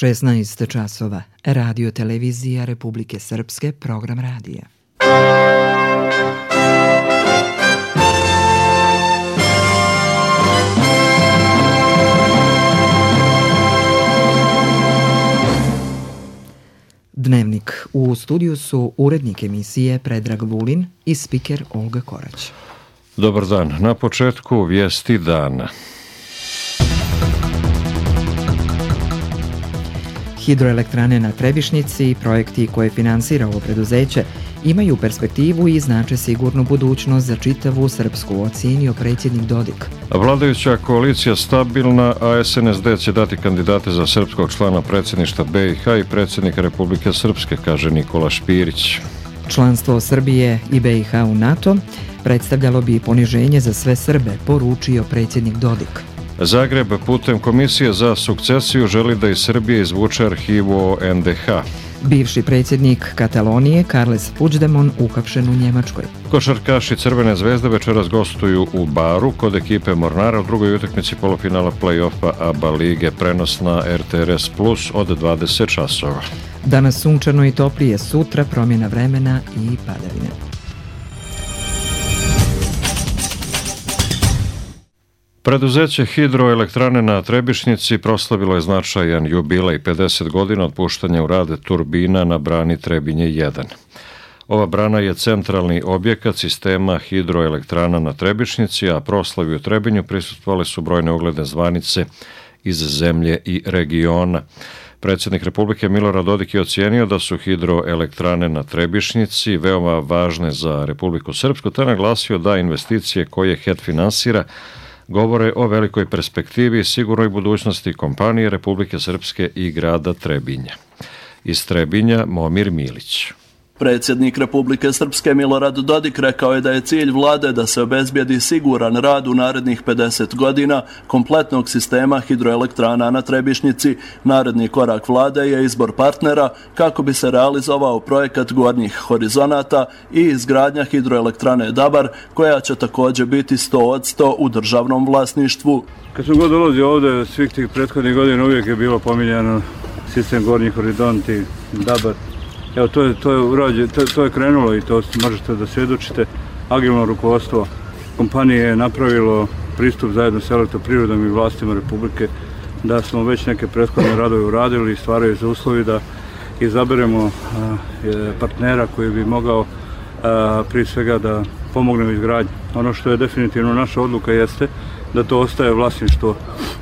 16 časova. Radio televizija Republike Srpske, program radija. Dnevnik. U studiju su urednik emisije Predrag Vulin i spiker Olga Korać. Dobar dan. Na početku vijesti dana. Hidroelektrane na Trebišnjici i projekti koje finansira ovo preduzeće imaju perspektivu i znače sigurnu budućnost za čitavu Srpsku, ocijenio predsjednik Dodik. Vladajuća koalicija stabilna, a SNSD će dati kandidate za srpskog člana predsjedništva BiH i predsjednika Republike Srpske, kaže Nikola Špirić. Članstvo Srbije i BiH u NATO predstavljalo bi poniženje za sve Srbe, poručio predsjednik Dodik. Zagreb putem Komisije za sukcesiju želi da iz Srbije izvuče arhivu o NDH. Bivši predsjednik Katalonije Carles Puigdemont uhapšen u Njemačkoj. Košarkaši Crvene zvezde večeras gostuju u Baru kod ekipe Mornara u drugoj utakmici polufinala play-offa ABA lige, prenos na RTRS Plus od 20 časova. Danas sunčano i toplije, sutra promjena vremena i padavine. Preduzeće Hidroelektrane na Trebišnjici proslavilo je značajan jubilej 50 godina od puštanja u rad turbina na brani Trebinje 1. Ova brana je centralni objekat sistema hidroelektrana na Trebišnjici, a proslavi u Trebinju prisustvovale su brojne ugledne zvanice iz zemlje i regiona. Predsjednik Republike Milorad Dodik je ocijenio da su hidroelektrane na Trebišnjici veoma važne za Republiku Srpsku, te naglasio da investicije koje HET finansira govore o velikoj perspektivi i sigurnoj budućnosti kompanije Republike Srpske i grada Trebinja. Iz Trebinja Momir Milić. Predsjednik Republike Srpske Milorad Dodik rekao je da je cilj vlade da se obezbijedi siguran rad u narednih 50 godina kompletnog sistema hidroelektrana na Trebišnjici. Naredni korak vlade je izbor partnera kako bi se realizovao projekat Gornjih horizonata i izgradnja hidroelektrane Dabar, koja će također biti 100% u državnom vlasništvu. Kad sam god dolazio ovdje, svih tih prethodnih godina uvijek je bilo pominjano sistem Gornjih horizonti, Dabar. Evo, to je krenulo i to možete da svjedočite. Agilno rukovodstvo kompanije je napravilo pristup zajedno s Elektroprivredom i vlastima Republike, da smo već neke prethodne radove uradili i stvaraju se uslovi da izaberemo partnera koji bi mogao prije svega da pomogne u izgradnji. Ono što je definitivno naša odluka jeste da to ostaje vlasništvo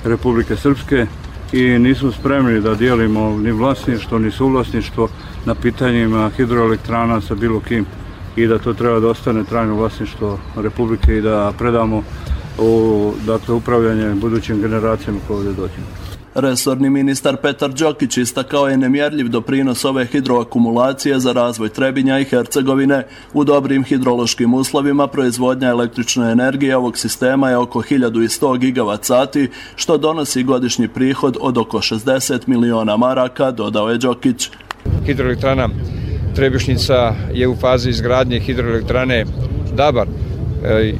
Republike Srpske i nismo spremni da dijelimo ni vlasništvo ni suvlasništvo na pitanjima hidroelektrana sa bilo kim i da to treba da ostane trajno vlasništvo Republike i da predamo upravljanje budućim generacijama koje ovdje dođemo. Resorni ministar Petar Đokić istakao je nemjerljiv doprinos ove hidroakumulacije za razvoj Trebinja i Hercegovine. U dobrim hidrološkim uslovima proizvodnja električne energije ovog sistema je oko 1100 gigavat sati, što donosi godišnji prihod od oko 60 miliona maraka, dodao je Đokić. Hidroelektrana Trebišnjica je u fazi izgradnje hidroelektrane Dabar,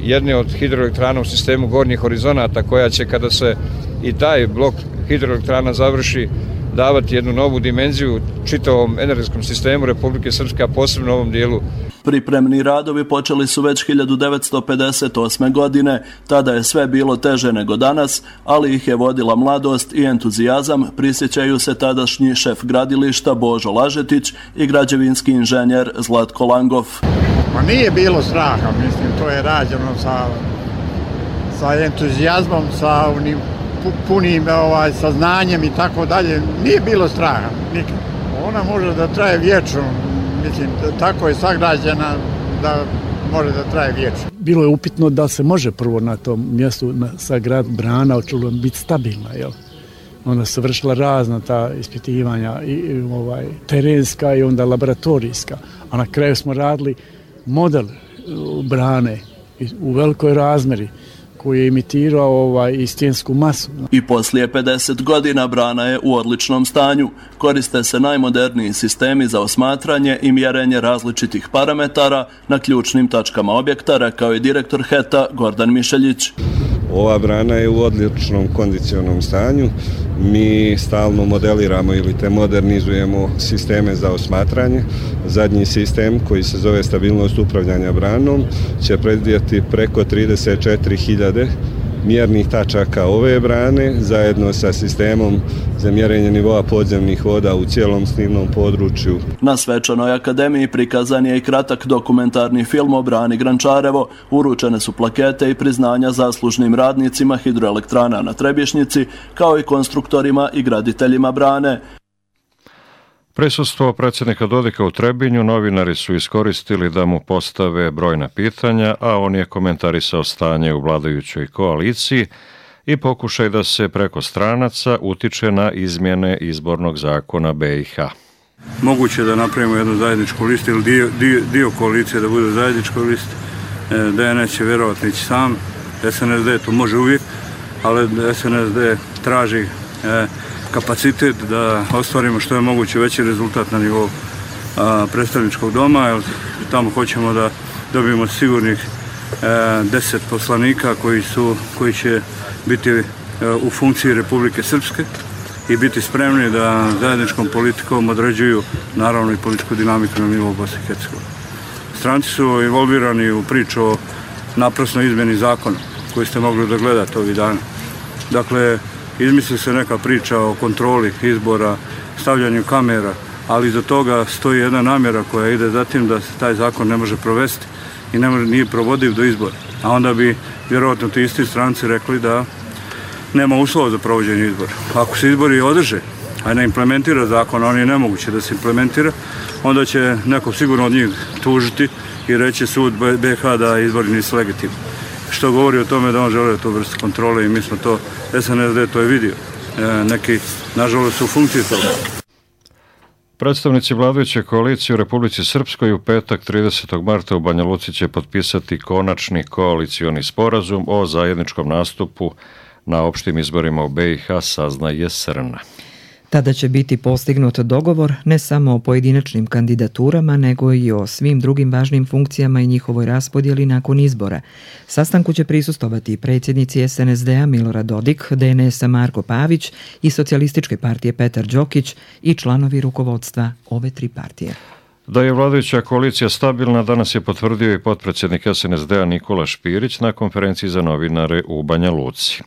jedne od hidroelektrana u sistemu Gornjih horizonata, koja će, kada se i taj blok hidroelektrana završi, davati jednu novu dimenziju čitavom energetskom sistemu Republike Srpske, a posebno u ovom dijelu. Pripremni radovi počeli su već 1958. godine, tada je sve bilo teže nego danas, ali ih je vodila mladost i entuzijazam, prisjećaju se tadašnji šef gradilišta Božo Lažetić i građevinski inženjer Zlatko Langov. Ma nije bilo straha, mislim, to je rađeno sa entuzijazmom, sa onim punim saznanjem i tako dalje. Nije bilo straha, nikad. Ona može da traje vječno, mislim, tako je sagrađena da može da traje vječno. Bilo je upitno da se može prvo na tom mjestu sagrad brana, očelo biti stabilna, jel? Onda se vršila razna ta ispitivanja, i terenska i onda laboratorijska, a na kraju smo radili model brane u velikoj razmeri koji je imitirao i stensku masu. I poslije 50 godina brana je u odličnom stanju. Koriste se najmoderniji sistemi za osmatranje i mjerenje različitih parametara na ključnim tačkama objekta, rekao je direktor HET-a Gordan Mišeljić. Ova brana je u odličnom kondicionom stanju. Mi stalno modeliramo ili te modernizujemo sisteme za osmatranje. Zadnji sistem koji se zove stabilnost upravljanja branom će predvidjeti preko 34.000 mjernih tačaka ove brane zajedno sa sistemom za mjerenje nivoa podzemnih voda u cijelom slivnom području. Na svečanoj akademiji prikazan je i kratak dokumentarni film o brani Grančarevo. Uručene su plakete i priznanja zaslužnim radnicima hidroelektrana na Trebišnjici, kao i konstruktorima i graditeljima brane. Prisustvo predsjednika Dodika u Trebinju novinari su iskoristili da mu postave brojna pitanja, a on je komentarisao stanje u vladajućoj koaliciji i pokušaj da se preko stranaca utiče na izmjene izbornog zakona BiH. Moguće da napravimo jednu zajedničku listu ili dio koalicije da bude zajednička lista. DNS će vjerovatno ići sam, SNSD to može uvijek, ali SNSD traži kapacitet da ostvarimo što je moguće veći rezultat na nivou predstavničkog doma, jer tamo hoćemo da dobijemo sigurnih 10 poslanika koji će biti u funkciji Republike Srpske i biti spremni da zajedničkom politikom određuju naravno i političku dinamiku na nivou Bosne i Hercegovine. Stranci su involvirani u priču o naprasnoj izmjeni zakona koji ste mogli da gledate ovih dana. Dakle, izmisli se neka priča o kontroli izbora, stavljanju kamera, ali iza toga stoji jedna namjera koja ide za tim da se taj zakon ne može provesti i nije provodiv do izbora. A onda bi vjerojatno ti isti stranci rekli da nema uslova za provođenje izbora. Ako se izbori održe, a ne implementira zakon, a on je nemoguće da se implementira, onda će neko sigurno od njih tužiti i reći sud BiH da izbori nisu legitimni. Što govori o tome da on žele tu vrstu kontrole i mi smo to, SNSD to je vidio. Neki, nažalost, su u funkciji toga. Predstavnici vladajuće koalicije u Republici Srpskoj u petak 30. marta u Banja Luci će potpisati konačni koalicioni sporazum o zajedničkom nastupu na opštim izborima u BiH, saznaje SRN. Tada će biti postignut dogovor ne samo o pojedinačnim kandidaturama, nego i o svim drugim važnim funkcijama i njihovoj raspodjeli nakon izbora. Sastanku će prisustovati predsjednici SNSD-a Milorad Dodik, DNS-a Marko Pavić i Socijalističke partije Petar Đokić i članovi rukovodstva ove tri partije. Da je vladajuća koalicija stabilna, danas je potvrdio i potpredsjednik SNSD-a Nikola Špirić na konferenciji za novinare u Banja Luci.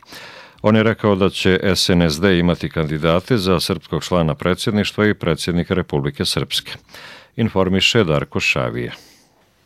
On je rekao da će SNSD imati kandidate za srpskog člana predsjedništva i predsjednika Republike Srpske. Informiše Darko Šavije.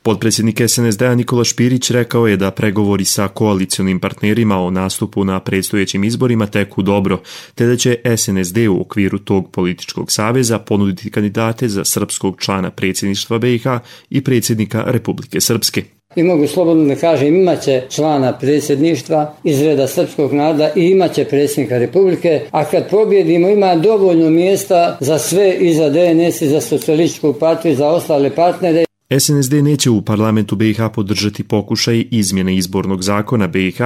Potpredsjednik SNSD-a Nikola Špirić rekao je da pregovori sa koalicionim partnerima o nastupu na predstojećim izborima teku dobro, te da će SNSD u okviru tog političkog saveza ponuditi kandidate za srpskog člana predsjedništva BiH i predsjednika Republike Srpske. I mogu slobodno da kažem, imaće člana predsjedništva iz reda srpskog naroda i imaće predsjednika Republike, a kad pobjedimo ima dovoljno mjesta za sve i za DNS i za Socijalističku partiju i za ostale partnere. SNSD neće u parlamentu BiH podržati pokušaj izmjene izbornog zakona BiH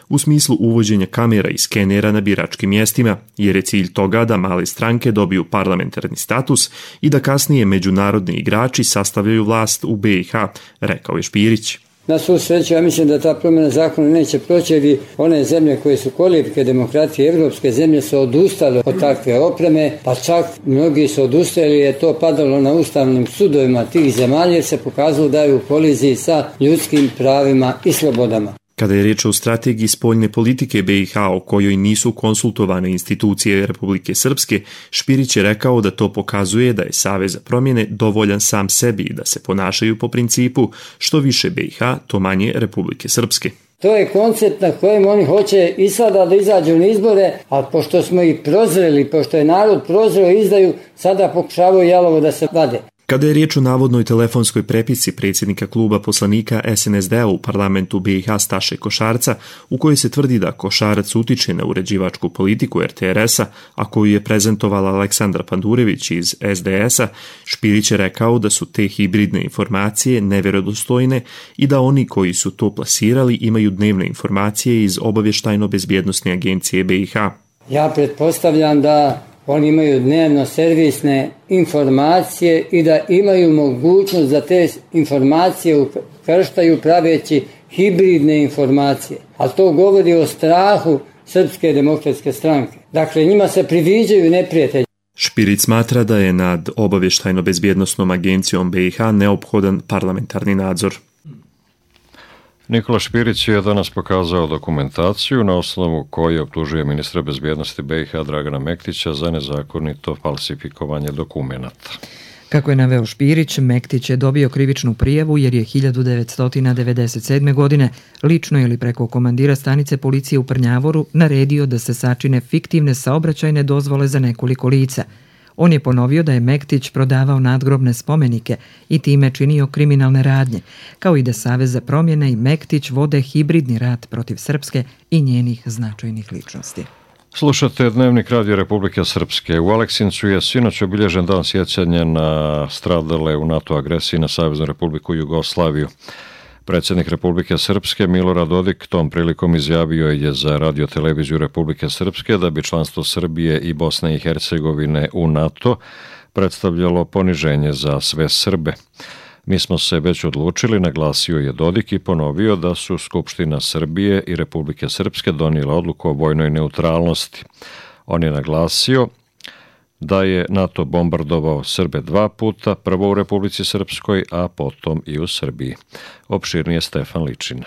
u smislu uvođenja kamera i skenera na biračkim mjestima, jer je cilj toga da male stranke dobiju parlamentarni status i da kasnije međunarodni igrači sastavljaju vlast u BiH, rekao je Špirić. Na svu sreću, ja mislim da ta promjena zakona neće proći, jer one zemlje koje su kolijevke demokratije, evropske zemlje su odustale od takve opreme, pa čak mnogi su odustali, je to padalo na ustavnim sudovima tih zemalja, jer se pokazalo da je u koliziji sa ljudskim pravima i slobodama. Kada je riječ o strategiji spoljne politike BiH o kojoj nisu konsultovane institucije Republike Srpske, Špirić je rekao da to pokazuje da je Savez za promjene dovoljan sam sebi i da se ponašaju po principu što više BiH, to manje Republike Srpske. To je koncept na kojem oni hoće i sada da izađu na izbore, ali pošto smo ih prozreli, pošto je narod prozreo i izdaju, sada pokušavaju jalovo da se vade. Kada je riječ o navodnoj telefonskoj prepisci predsjednika kluba poslanika SNSD-a u parlamentu BiH Staše Košarca, u kojoj se tvrdi da Košarac utiče na uređivačku politiku RTRS-a, a koju je prezentovala Aleksandra Pandurević iz SDS-a, Špirić je rekao da su te hibridne informacije nevjerodostojne i da oni koji su to plasirali imaju dnevne informacije iz obavještajno-bezbjednosne agencije BiH. Ja pretpostavljam da oni imaju dnevno servisne informacije i da imaju mogućnost da te informacije ukrštaju praveći hibridne informacije, a to govori o strahu Srpske demokratske stranke. Dakle, njima se priviđaju neprijatelji. Špirić smatra da je nad obavještajno-bezbjednosnom agencijom BiH neophodan parlamentarni nadzor. Nikola Špirić je danas pokazao dokumentaciju na osnovu koje optužuje ministra bezbjednosti BiH Dragana Mektića za nezakonito falsifikovanje dokumenata. Kako je naveo Špirić, Mektić je dobio krivičnu prijavu jer je 1997. godine lično ili preko komandira stanice policije u Prnjavoru naredio da se sačine fiktivne saobraćajne dozvole za nekoliko lica. On je ponovio da je Mektić prodavao nadgrobne spomenike i time činio kriminalne radnje, kao i da Savez za promjene i Mektić vode hibridni rat protiv Srpske i njenih značajnih ličnosti. Slušate Dnevnik Radio Republike Srpske. U Aleksincu je sinoć obilježen dan sjećanja na stradale u NATO agresiji na Saveznu Republiku Jugoslaviju. Predsjednik Republike Srpske Milorad Dodik tom prilikom izjavio je za Radio-televiziju Republike Srpske da bi članstvo Srbije i Bosne i Hercegovine u NATO predstavljalo poniženje za sve Srbe. Mi smo se već odlučili, naglasio je Dodik i ponovio da su Skupština Srbije i Republike Srpske donijele odluku o vojnoj neutralnosti. On je naglasio da je NATO bombardovao Srbe 2 puta, prvo u Republici Srpskoj, a potom i u Srbiji. Opširnije Stefan Ličina.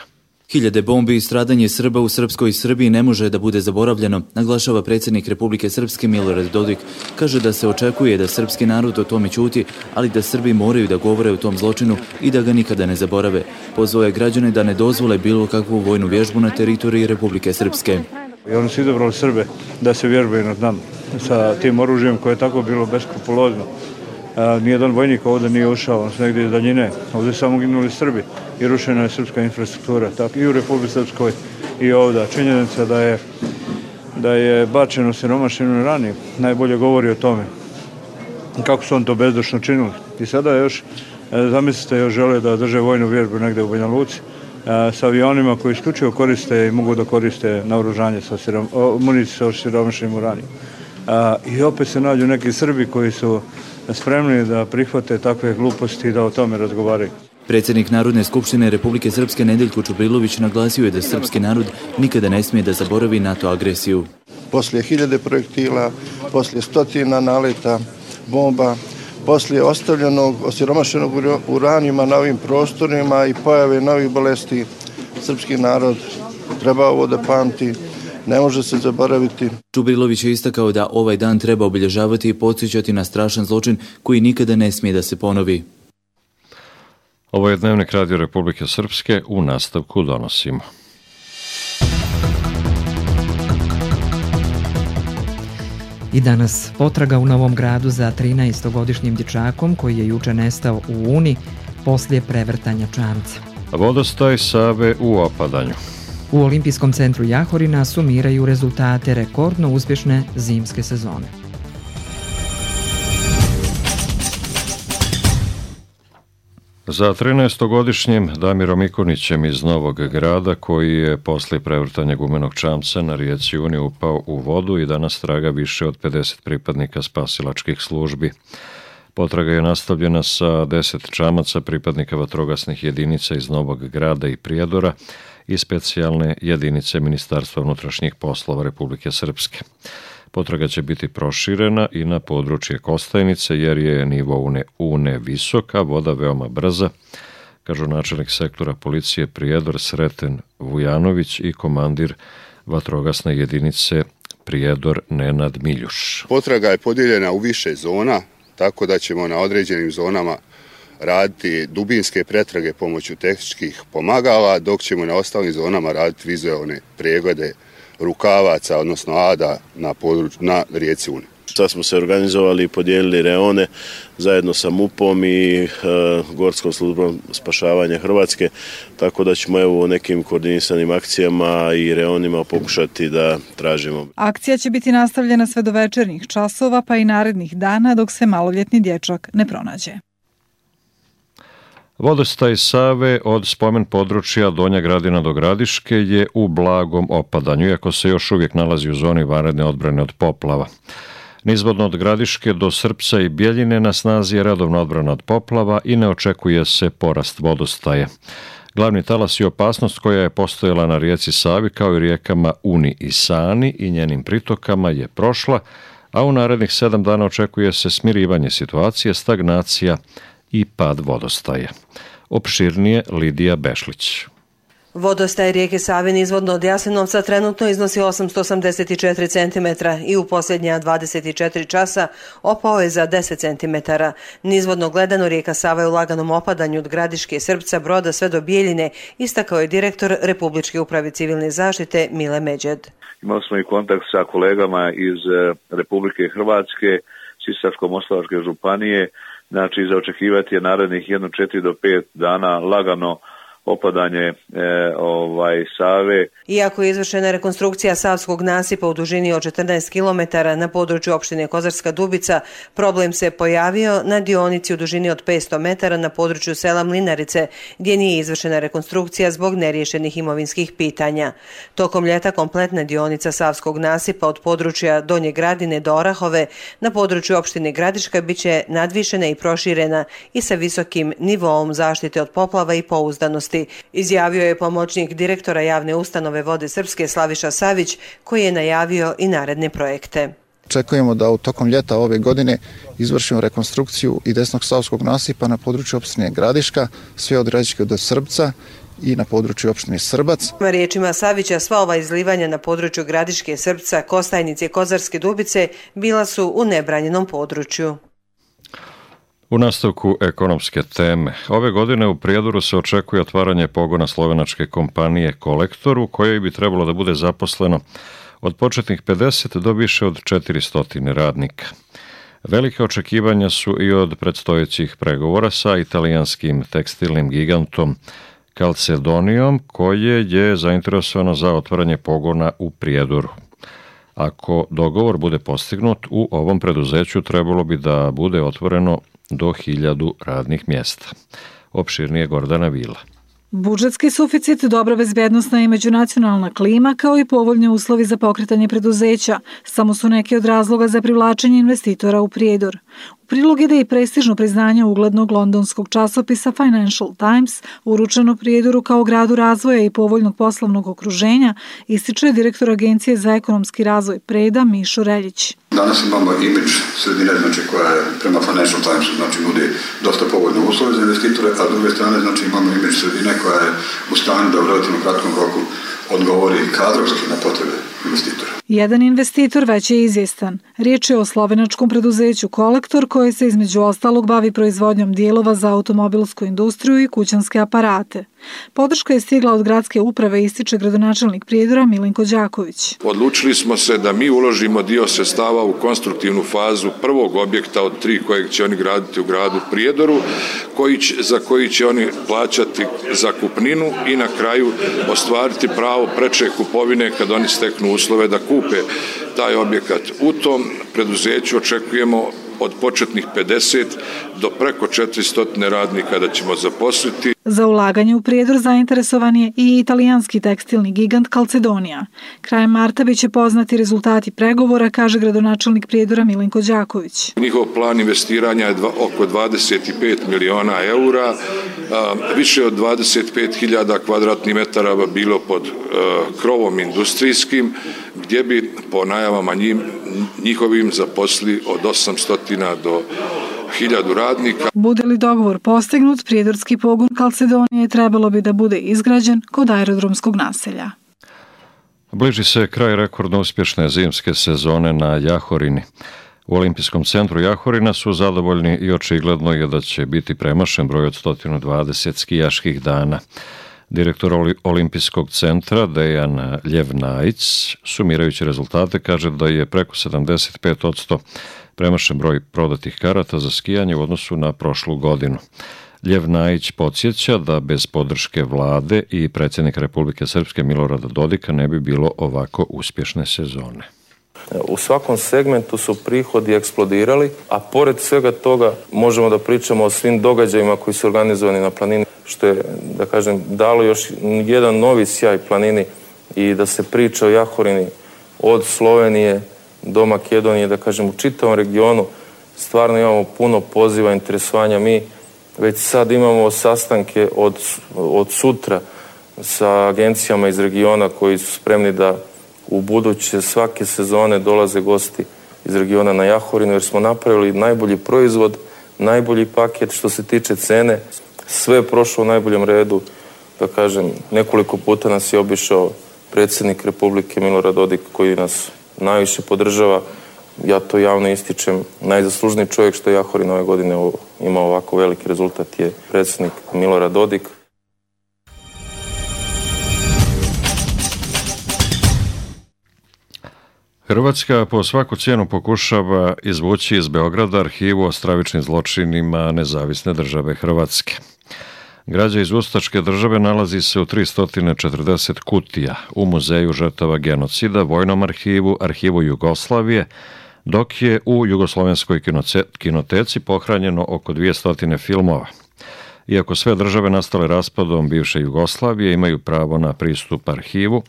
Hiljade bombi i stradanje Srba u Srpskoj Srbiji ne može da bude zaboravljeno, naglašava predsjednik Republike Srpske Milorad Dodik. Kaže da se očekuje da srpski narod o tome ćuti, ali da Srbi moraju da govore o tom zločinu i da ga nikada ne zaborave. Pozvao je građane da ne dozvole bilo kakvu vojnu vježbu na teritoriji Republike Srpske. I oni su izabrali Srbe da se vježbaju nad nama sa tim oružjem koje je tako bilo beskrupulozno. Nijedan vojnik ovdje nije ušao, on su negdje iz daljine. Ovdje su samo ginuli Srbi i rušena je srpska infrastruktura. Tako i u Republike Srpskoj i ovdje. Činjenica da je bačeno siromašinu rani najbolje govori o tome kako su on to bezdušno činili. I sada još, zamislite, još žele da drže vojnu vježbu negdje u Banja Luci sa avionima koji isključivo koriste i mogu da koriste naoružanje sa municiju sa siromašnim uranijom. I opet se nađu neki Srbi koji su spremni da prihvate takve gluposti i da o tome razgovaraju. Predsjednik Narodne skupštine Republike Srpske Nedeljko Čubrilović naglasio je da srpski narod nikada ne smije da zaboravi NATO agresiju. Poslije 1000 projektila, poslije stotina naleta, bomba, poslije ostavljenog osiromašenog uranijuma na ovim prostorima i pojave novih bolesti, srpski narod treba ovo da pamti. Ne može se zaboraviti. Čubrilović je istakao da ovaj dan treba obilježavati i podsjećati na strašan zločin koji nikada ne smije da se ponovi. Ovo je Dnevnik Radio Republike Srpske, u nastavku donosimo. I danas potraga u Novom Gradu za 13-godišnjim dječakom koji je juče nestao u Uni poslije prevrtanja čamca. Vodostaj Save u opadanju. U Olimpijskom centru Jahorina sumiraju rezultate rekordno uspješne zimske sezone. Za 13-godišnjim Damirom Ikonićem iz Novog Grada, koji je poslije prevrtanja gumenog čamca na rijeci Uni upao u vodu i danas traga više od 50 pripadnika spasilačkih službi. Potraga je nastavljena sa 10 čamaca pripadnika vatrogasnih jedinica iz Novog Grada i Prijedora i specijalne jedinice Ministarstva unutrašnjih poslova Republike Srpske. Potraga će biti proširena i na područje Kostajnice jer je nivo Une visok, a voda veoma brza, kažu načelnik sektora policije Prijedor Sreten Vujanović i komandir vatrogasne jedinice Prijedor Nenad Miljuš. Potraga je podijeljena u više zona, tako da ćemo na određenim zonama raditi dubinske pretrage pomoću tehničkih pomagala, dok ćemo na ostalim zonama raditi vizualne preglede rukavaca, odnosno ada na rijeci Uni. Sad smo se organizovali i podijelili reone zajedno sa MUP-om i Gorskom službom spašavanja Hrvatske, tako da ćemo u nekim koordinisanim akcijama i reonima pokušati da tražimo. Akcija će biti nastavljena sve do večernjih časova pa i narednih dana dok se maloljetni dječak ne pronađe. Vodostaj Save od spomen područja Donja Gradina do Gradiške je u blagom opadanju, iako se još uvijek nalazi u zoni vanredne odbrane od poplava. Nizvodno od Gradiške do Srpca i Bjeljine na snazi je redovna odbrana od poplava i ne očekuje se porast vodostaja. Glavni talas i opasnost koja je postojala na rijeci Savi kao i rijekama Uni i Sani i njenim pritokama je prošla, a u narednih 7 dana očekuje se smirivanje situacije, stagnacija i pad vodostaja. Opširnije Lidija Bešlić. Vodostaj rijeke Save nizvodno od Jasenovca trenutno iznosi 884 cm i u posljednja 24 časa opao je za 10 cm. Nizvodno gledano rijeka Sava je u laganom opadanju od Gradiške, Srpca, Broda sve do Bijeljine, istakao je direktor Republičke uprave civilne zaštite Mile Međed. Imali smo i kontakt sa kolegama iz Republike Hrvatske, Sisačko-moslavačke županije, znači za očekivati je narednih 4 do 5 dana lagano opadanje Save. Iako je izvršena rekonstrukcija savskog nasipa u dužini od 14 km na području opštine Kozarska Dubica, problem se pojavio na dionici u dužini od 500 metara na području sela Mlinarice, gdje nije izvršena rekonstrukcija zbog neriješenih imovinskih pitanja. Tokom ljeta kompletna dionica savskog nasipa od područja Donje Gradine do Orahove na području opštine Gradiška biće nadvišena i proširena i sa visokim nivoom zaštite od poplava i pouzdanosti, izjavio je pomoćnik direktora javne ustanove Vode Srpske Slaviša Savić, koji je najavio i naredne projekte. Očekujemo da u tokom ljeta ove godine izvršimo rekonstrukciju i desnog savskog nasipa na području opštine Gradiška, sve od Gradiške do Srbca i na području opštine Srbac. Riječima Savića, sva ova izlivanja na području Gradiške, Srpca, Kostajnice i Kozarske Dubice bila su u nebranjenom području. U nastavku ekonomske teme. Ove godine u Prijedoru se očekuje otvaranje pogona slovenačke kompanije Kolektor, u kojoj bi trebalo da bude zaposleno od početnih 50 do više od 400 radnika. Velike očekivanja su i od predstojećih pregovora sa italijanskim tekstilnim gigantom Calzedonijom, koje je zainteresovano za otvaranje pogona u Prijedoru. Ako dogovor bude postignut, u ovom preduzeću trebalo bi da bude otvoreno do 1000 radnih mjesta. Opširnije Gordana Vila. Budžetski suficit, dobra bezbednosna i međunacionalna klima, kao i povoljni uslovi za pokretanje preduzeća, samo su neki od razloga za privlačenje investitora u Prijedor. U prilog ide i prestižno priznanje uglednog londonskog časopisa Financial Times, uručeno Prijedoru kao gradu razvoja i povoljnog poslovnog okruženja, ističe direktor Agencije za ekonomski razvoj Preda Mišo Reljić. Danas imamo imidž sredine, znači koja je prema Financial Timesu, znači nudi dosta povoljne uslove za investitore, a s druge strane znači imamo imidž sredine koja je u stanju da u relativno kratkom roku odgovori kadrovski na potrebe investitora. Jedan investitor već je izvjestan. Riječ je o slovenačkom preduzeću Kolektor, koje se između ostalog bavi proizvodnjom dijelova za automobilsku industriju i kućanske aparate. Podrška je stigla od gradske uprave, ističe gradonačelnik Prijedora Milenko Đaković. Odlučili smo se da mi uložimo dio sredstava u konstruktivnu fazu prvog objekta od 3 kojeg će oni graditi u gradu Prijedoru, za koji će oni plaćati zakupninu i na kraju ostvariti pravo preče kupovine kad oni steknu uslove da kupe taj objekat. U tom preduzeću očekujemo od početnih 50 do preko 400 radnika da ćemo zaposliti. Za ulaganje u Prijedor zainteresovan je i italijanski tekstilni gigant Calzedonija. Krajem marta biće poznati rezultati pregovora, kaže gradonačelnik Prijedora Milenko Đaković. Njihov plan investiranja je oko 25 miliona eura, više od 25.000 kvadratnih metara bilo pod krovom industrijskim, gdje bi po najavama njihovim zaposli od 800 do 1000 radnika. Bude li dogovor postignut, prijedorski pogon Calzedonije trebalo bi da bude izgrađen kod aerodromskog naselja. Bliži se kraj rekordno uspješne zimske sezone na Jahorini. U Olimpijskom centru Jahorina su zadovoljni i očigledno je da će biti premašen broj od 120 skijaških dana. Direktor Olimpijskog centra Dejan Ljevnajić, sumirajući rezultate, kaže da je preko 75% premašen broj prodatih karata za skijanje u odnosu na prošlu godinu. Ljevnajić podsjeća da bez podrške vlade i predsjednika Republike Srpske Milorada Dodika ne bi bilo ovako uspješne sezone. U svakom segmentu su prihodi eksplodirali, a pored svega toga možemo da pričamo o svim događajima koji su organizovani na planini, što je, da kažem, dalo još jedan novi sjaj planini i da se priča o Jahorini od Slovenije do Makedonije, da kažem, u čitavom regionu. Stvarno imamo puno poziva, interesovanja. Mi Već sad imamo sastanke od sutra sa agencijama iz regiona koji su spremni da u buduće svake sezone dolaze gosti iz regiona na Jahorinu, jer smo napravili najbolji proizvod, najbolji paket što se tiče cene. Sve je prošlo u najboljem redu. Da kažem, nekoliko puta nas je obišao predsjednik Republike Milorad Dodik koji nas najviše podržava. Ja to javno ističem. Najzaslužniji čovjek što je Jahorin ove godine imao ovako veliki rezultat je predsjednik Milorad Dodik. Hrvatska po svaku cijenu pokušava izvući iz Beograda arhivu o stravičnim zločinima Nezavisne države Hrvatske. Građa iz ustaške države nalazi se u 340 kutija u Muzeju žrtava genocida, Vojnom arhivu, Arhivu Jugoslavije, dok je u Jugoslovenskoj kinoteci pohranjeno oko 200 filmova. Iako sve države nastale raspadom bivše Jugoslavije imaju pravo na pristup arhivu,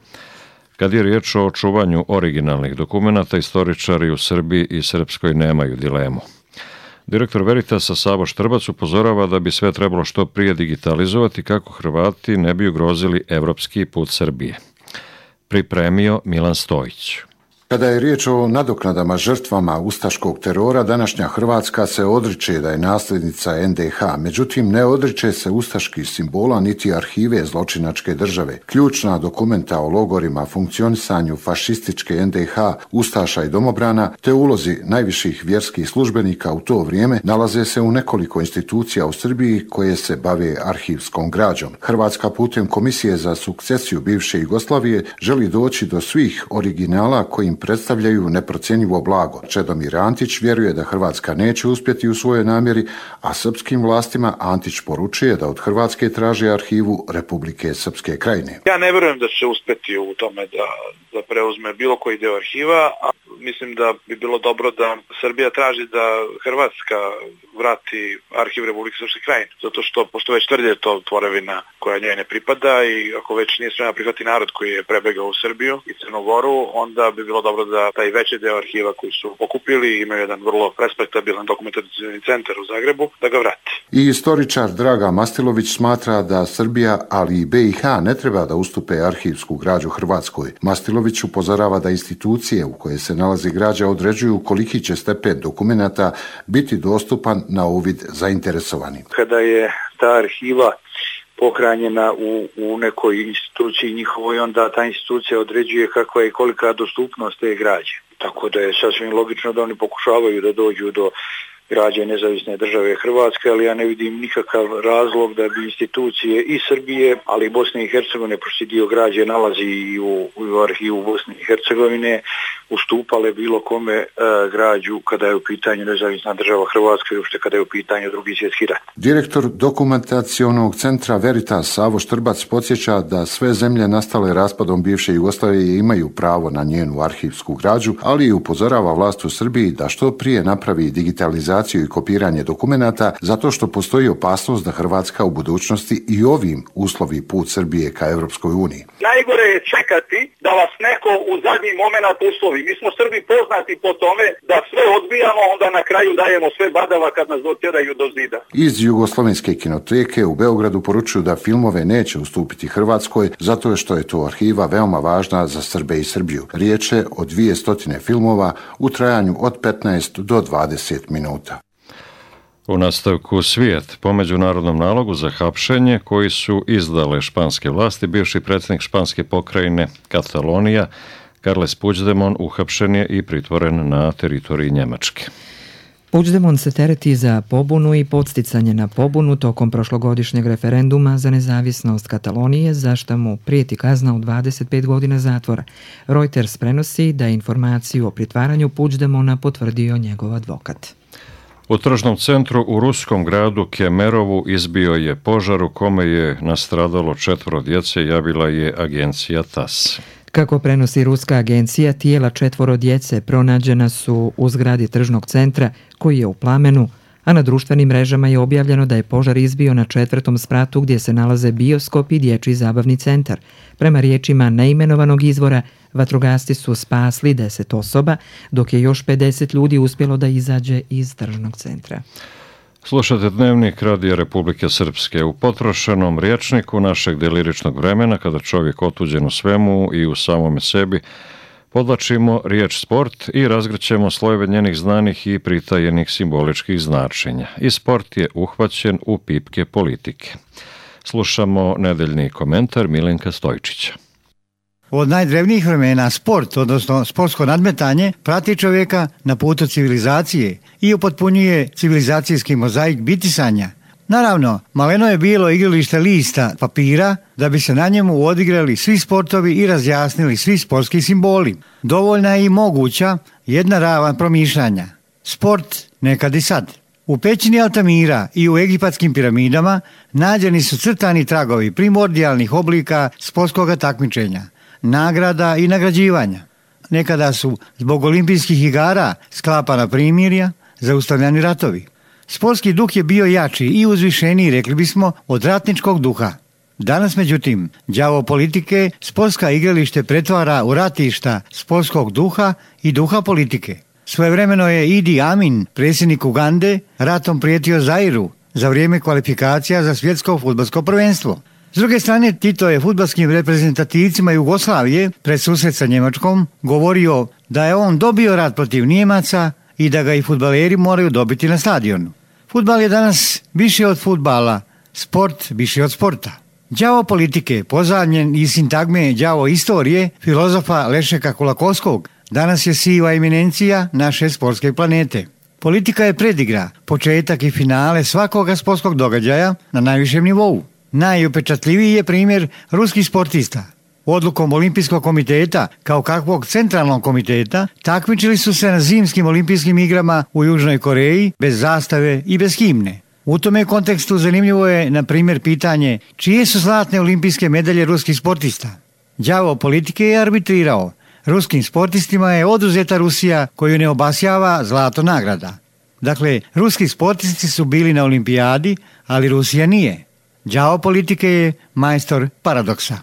kad je riječ o čuvanju originalnih dokumenata, istoričari u Srbiji i Srpskoj nemaju dilemu. Direktor Veritasa Savo Štrbac upozorava da bi sve trebalo što prije digitalizovati kako Hrvati ne bi ugrozili evropski put Srbije. Pripremio Milan Stojić. Kada je riječ o nadoknadama žrtvama ustaškog terora, današnja Hrvatska se odriče da je nasljednica NDH, međutim ne odriče se ustaških simbola niti arhive zločinačke države. Ključna dokumenta o logorima, funkcionisanju fašističke NDH, ustaša i domobrana, te ulozi najviših vjerskih službenika u to vrijeme nalaze se u nekoliko institucija u Srbiji koje se bave arhivskom građom. Hrvatska putem Komisije za sukcesiju bivše Jugoslavije želi doći do svih originala kojim predstavljaju neprocjenjivo blago. Čedomir Antić vjeruje da Hrvatska neće uspjeti u svojoj namjeri, a srpskim vlastima Antić poručuje da od Hrvatske traže arhivu Republike Srpske Krajine. Ja ne vjerujem da će uspjeti u tome da preuzme bilo koji deo arhiva, a mislim da bi bilo dobro da Srbija traži da Hrvatska vrati arhiv Republike Srpske Krajine, zato što pošto već tvrdi je to tvorevina koja njoj ne pripada i ako već nije spremna prihvati narod koji je prebegao u Srbiju i Crnogoru, onda bi bilo dobro da taj veći deo arhiva koji su pokupili, imaju jedan vrlo respektabilan dokumentacioni centar u Zagrebu, da ga vrati. I istoričar Draga Mastilović smatra da Srbija, ali i BiH ne treba da ustupe arhivsku građu Hrvatskoj. Mastilović upozorava da institucije u koje se nalazi građa određuju koliki će stepen dokumenata biti dostupan na uvid zainteresovani. Kada je ta arhiva pohranjena u nekoj instituciji njihovoj, onda ta institucija određuje kakva je kolika dostupnost te građe. Tako da je sasvim logično da oni pokušavaju da dođu do građe Nezavisne države Hrvatske, ali ja ne vidim nikakav razlog da bi institucije i Srbije, ali i Bosne i Hercegovine, pošto dio građe nalazi i u arhivu Bosne i Hercegovine, ustupale bilo kome građu kada je u pitanju Nezavisna država Hrvatska i uopšte kada je u pitanju Drugi svjetski rat. Direktor dokumentacionog centra Veritas Savo Štrbac podsjeća da sve zemlje nastale raspadom bivše Jugoslavije imaju pravo na njenu arhivsku građu, ali i upozorava vlast u Srbiji da što prije napravi digitalizaciju i kopiranje dokumenata, zato što postoji opasnost da Hrvatska u budućnosti i ovim uslovi put Srbije ka Evropskoj uniji. Najgore je čekati da vas neko u zadnji moment uslovi. Mi smo Srbi poznati po tome da sve odbijamo, onda na kraju dajemo sve badava kad nas dotjeraju do zida. Iz Jugoslovenske kinoteke u Beogradu poručuju da filmove neće ustupiti Hrvatskoj, zato što je to arhiva veoma važna za Srbe i Srbiju. Riječ je o 200 filmova u trajanju od 15 do 20 minuta. U nastavku svijet, po međunarodnom nalogu za hapšenje koji su izdale španske vlasti, bivši predsjednik španske pokrajine Katalonija, Carles Puigdemont, uhapšen je i pritvoren na teritoriji Njemačke. Puigdemont se tereti za pobunu i podsticanje na pobunu tokom prošlogodišnjeg referenduma za nezavisnost Katalonije, za što mu prijeti kazna od 25 godina zatvora. Reuters prenosi da je informaciju o pritvaranju Puigdemonta potvrdio njegov advokat. U tržnom centru u ruskom gradu Kemerovu izbio je požar u kome je nastradalo 4 djece, javila je agencija TASS. Kako prenosi ruska agencija, tijela 4 djece pronađena su u zgradi tržnog centra koji je u plamenu, a na društvenim mrežama je objavljeno da je požar izbio na 4. spratu gdje se nalaze bioskop i dječji zabavni centar. Prema riječima neimenovanog izvora, vatrogasci su spasli 10 osoba, dok je još 50 ljudi uspjelo da izađe iz tržnog centra. Slušate Dnevnik Radija Republike Srpske. U potrošenom rječniku našeg deliričnog vremena, kada čovjek otuđen u svemu i u samome sebi, podlačimo riječ sport i razgrćemo slojeve njenih znanih i pritajenih simboličkih značenja. I sport je uhvaćen u pipke politike. Slušamo nedeljni komentar Milenka Stojčića. Od najdrevnijih vremena sport, odnosno sportsko nadmetanje, prati čovjeka na putu civilizacije i upotpunjuje civilizacijski mozaik bitisanja. Naravno, maleno je bilo igralište lista papira da bi se na njemu odigrali svi sportovi i razjasnili svi sportski simboli. Dovoljna je i moguća jedna ravan promišljanja. Sport nekad i sad. U pećini Altamira i u egipatskim piramidama nađeni su crtani tragovi primordijalnih oblika sportskog takmičenja, nagrada i nagrađivanja. Nekada su zbog olimpijskih igara sklapana primirja, zaustavljani ratovi. Sportski duh je bio jači i uzvišeniji, rekli bismo, od ratničkog duha. Danas, međutim, đavo politike sportska igralište pretvara u ratišta sportskog duha i duha politike. Svojevremeno je Idi Amin, predsjednik Ugande, ratom prijetio Zairu za vrijeme kvalifikacija za svjetsko fudbalsko prvenstvo. S druge strane, Tito je fudbalskim reprezentativcima Jugoslavije pred susret sa Njemačkom govorio da je on dobio rat protiv Nijemaca i da ga i fudbaleri moraju dobiti na stadionu. Fudbal je danas više od fudbala, sport više od sporta. Đavo politike, pozamljen iz sintagme đavo istorije, filozofa Lešeka Kulakovskog, danas je siva eminencija naše sportske planete. Politika je predigra, početak i finale svakoga sportskog događaja na najvišem nivou. Najupečatljiviji je primjer ruskih sportista. Odlukom Olimpijskog komiteta, kao kakvog centralnog komiteta, takmičili su se na zimskim olimpijskim igrama u Južnoj Koreji bez zastave i bez himne. U tome kontekstu zanimljivo je, na primjer, pitanje čije su zlatne olimpijske medalje ruskih sportista. Đavo politike je arbitrirao. Ruskim sportistima je oduzeta Rusija koju ne obasjava zlato nagrada. Dakle, ruski sportisti su bili na olimpijadi, ali Rusija nije. Đavo politike je majstor paradoksa.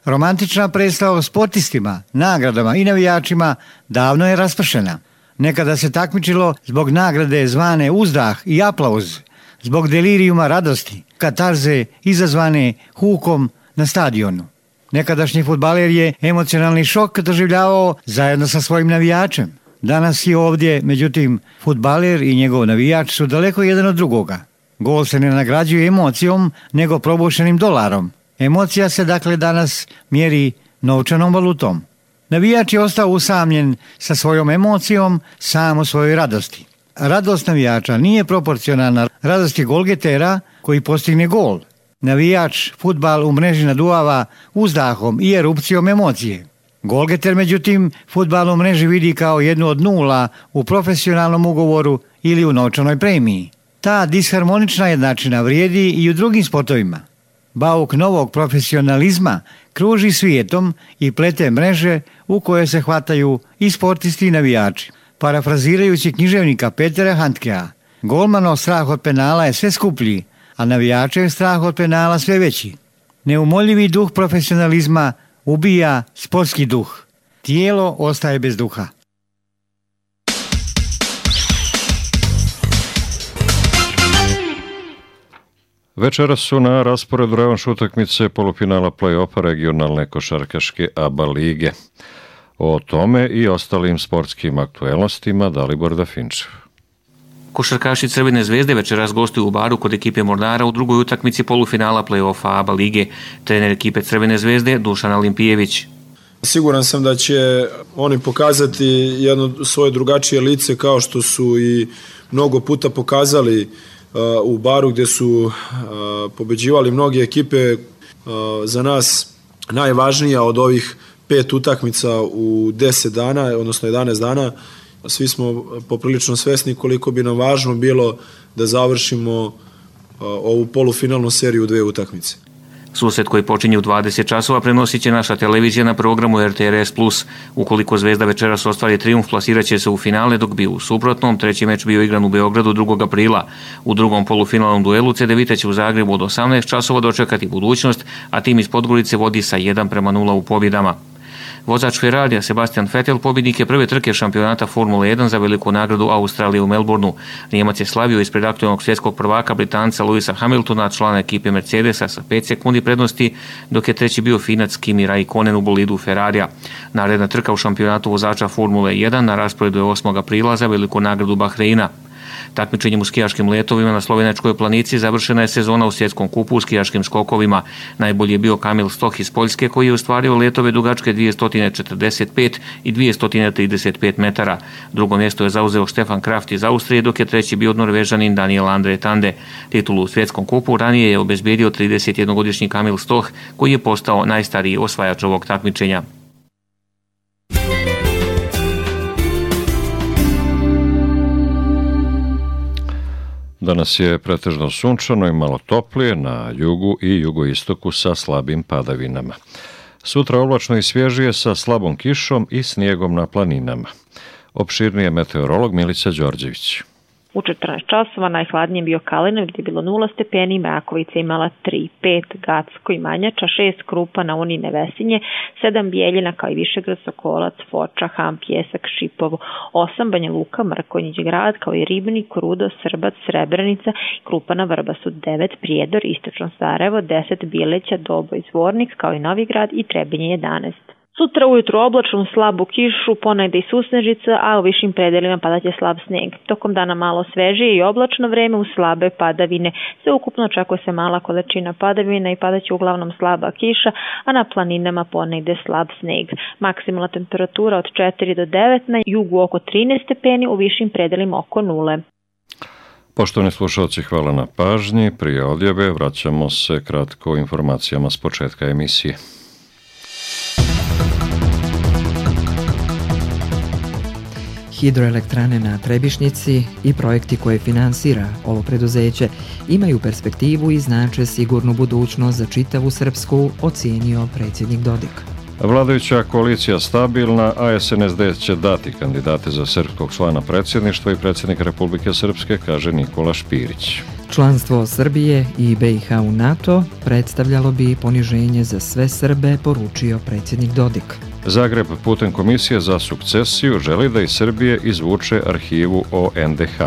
Romantična predstava o sportistima, nagradama i navijačima davno je raspršena. Nekada se takmičilo zbog nagrade zvane uzdah i aplauz, zbog delirijuma radosti, katarze izazvane hukom na stadionu. Nekadašnji fudbaler je emocionalni šok doživljavao zajedno sa svojim navijačem. Danas je ovdje, međutim, fudbaler i njegov navijač su daleko jedan od drugoga. Gol se ne nagrađuje emocijom, nego probušenim dolarom. Emocija se dakle danas mjeri novčanom valutom. Navijač je ostao usamljen sa svojom emocijom, sam u svojoj radosti. Radost navijača nije proporcionalna radosti golgetera koji postigne gol. Navijač fudbal u mreži naduvava uzdahom i erupcijom emocije. Golgeter, međutim, fudbal u mreži vidi kao jednu od nula u profesionalnom ugovoru ili u novčanoj premiji. Ta disharmonična jednačina vrijedi i u drugim sportovima. Bauk novog profesionalizma kruži svijetom i plete mreže u koje se hvataju i sportisti i navijači. Parafrazirajući književnika Petera Handkea, golmanov strah od penala je sve skuplji, a navijačev strah od penala sve veći. Neumoljivi duh profesionalizma ubija sportski duh. Tijelo ostaje bez duha. Večeras su na rasporedu revanš utakmice polufinala play-offa regionalne košarkaške ABA lige. O tome i ostalim sportskim aktuelnostima Dalibor Dafinčev. Košarkaši Crvene zvezde večeras gostuju u Baru kod ekipe Mornara u drugoj utakmici polufinala play-offa ABA lige. Trener ekipe Crvene zvezde Dušan Olimpijević. Siguran sam da će oni pokazati jedno svoje drugačije lice kao što su i mnogo puta pokazali u Baru gdje su pobeđivali mnoge ekipe. Za nas najvažnija od ovih 5 utakmica u 10 dana, odnosno 11 dana. Svi smo poprilično svesni koliko bi nam važno bilo da završimo ovu polufinalnu seriju u 2 utakmice. Susret koji počinje u 20 časova prenosit će naša televizija na programu RTRS+. Ukoliko Zvezda večeras ostvari trijumf, plasirat će se u finale, dok bi u suprotnom treći meč bio igran u Beogradu 2. aprila. U drugom polufinalnom duelu CDVita će u Zagrebu od 18 časova dočekati Budućnost, a tim iz Podgorice vodi sa 1-0 u pobjedama. Vozač Ferrarija Sebastian Vettel pobjednik je prve trke šampionata Formule 1 za veliku nagradu Australije u Melbourneu. Njemac je slavio ispred aktualnog svjetskog prvaka Britanca Lewisa Hamiltona, člana ekipe Mercedesa sa 5 sekundi prednosti, dok je treći bio Finac Kimi Raikkonen u bolidu Ferrarija. Naredna trka u šampionatu vozača Formule 1 na rasporedu je 8. aprila za veliku nagradu Bahreina. Takmičenjem u skijaškim letovima na Slovenačkoj planici završena je sezona u svjetskom kupu u skijaškim skokovima. Najbolji je bio Kamil Stoch iz Poljske koji je ostvario letove dugačke 245 i 235 metara. Drugo mjesto je zauzeo Stefan Kraft iz Austrije, dok je treći bio Norvežanin Daniel Andre Tande. Titulu u svjetskom kupu ranije je obezbijedio 31-godišnji Kamil Stoch koji je postao najstariji osvajač ovog takmičenja. Danas je pretežno sunčano i malo toplije na jugu i jugoistoku sa slabim padavinama. Sutra oblačno i svježije sa slabom kišom i snijegom na planinama. Opširnije meteorolog Milica Đorđević. U 14 časova najhladnije bio Kalinović gdje je bilo 0 stepeni, Mrakovica imala 3, 5, Gacko i Manjača, 6 Krupa na Uni Nevesinje, 7 Bijeljina kao i Višegrad, Sokolac, Foča, Ham, Pjesak, Šipovo, 8 Banja Luka, Mrkonjić grad kao i Ribnik, Rudo, Srbac, Srebrenica i Krupa na Vrbasu, 9 Prijedor, Istočno Sarajevo, 10 Bileća, Doboj, Zvornik kao i Novi Grad i Trebinje 11. Sutra ujutru oblačno, slabu kišu, ponegde i susnežica, a u višim predelima padaće slab sneg. Tokom dana malo svežije i oblačno vreme uz slabe padavine. Sve ukupno očekuje se mala količina padavina i padaće uglavnom slaba kiša, a na planinama ponegde slab sneg. Maksimalna temperatura od 4 do 9, na jugu oko 13 stepeni, u višim predelima oko 0. Poštovani slušalci, hvala na pažnji. Prije odjave vraćamo se kratko informacijama s početka emisije. Hidroelektrane na Trebišnjici i projekti koje finansira ovo preduzeće imaju perspektivu i znače sigurnu budućnost za čitavu Srpsku, ocijenio predsjednik Dodik. Vladajuća koalicija stabilna, a SNSD će dati kandidate za srpskog člana predsjedništva i predsjednik Republike Srpske, kaže Nikola Špirić. Članstvo Srbije i BiH u NATO predstavljalo bi poniženje za sve Srbe, poručio predsjednik Dodik. Zagreb putem Komisije za sukcesiju želi da iz Srbije izvuče arhivu o NDH.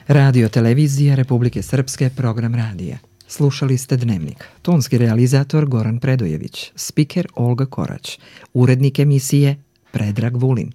Radio televizija Republike Srpske, program radija. Slušali ste Dnevnik. Tonski realizator Goran Predojević, spiker Olga Korać, urednik emisije Predrag Vulin.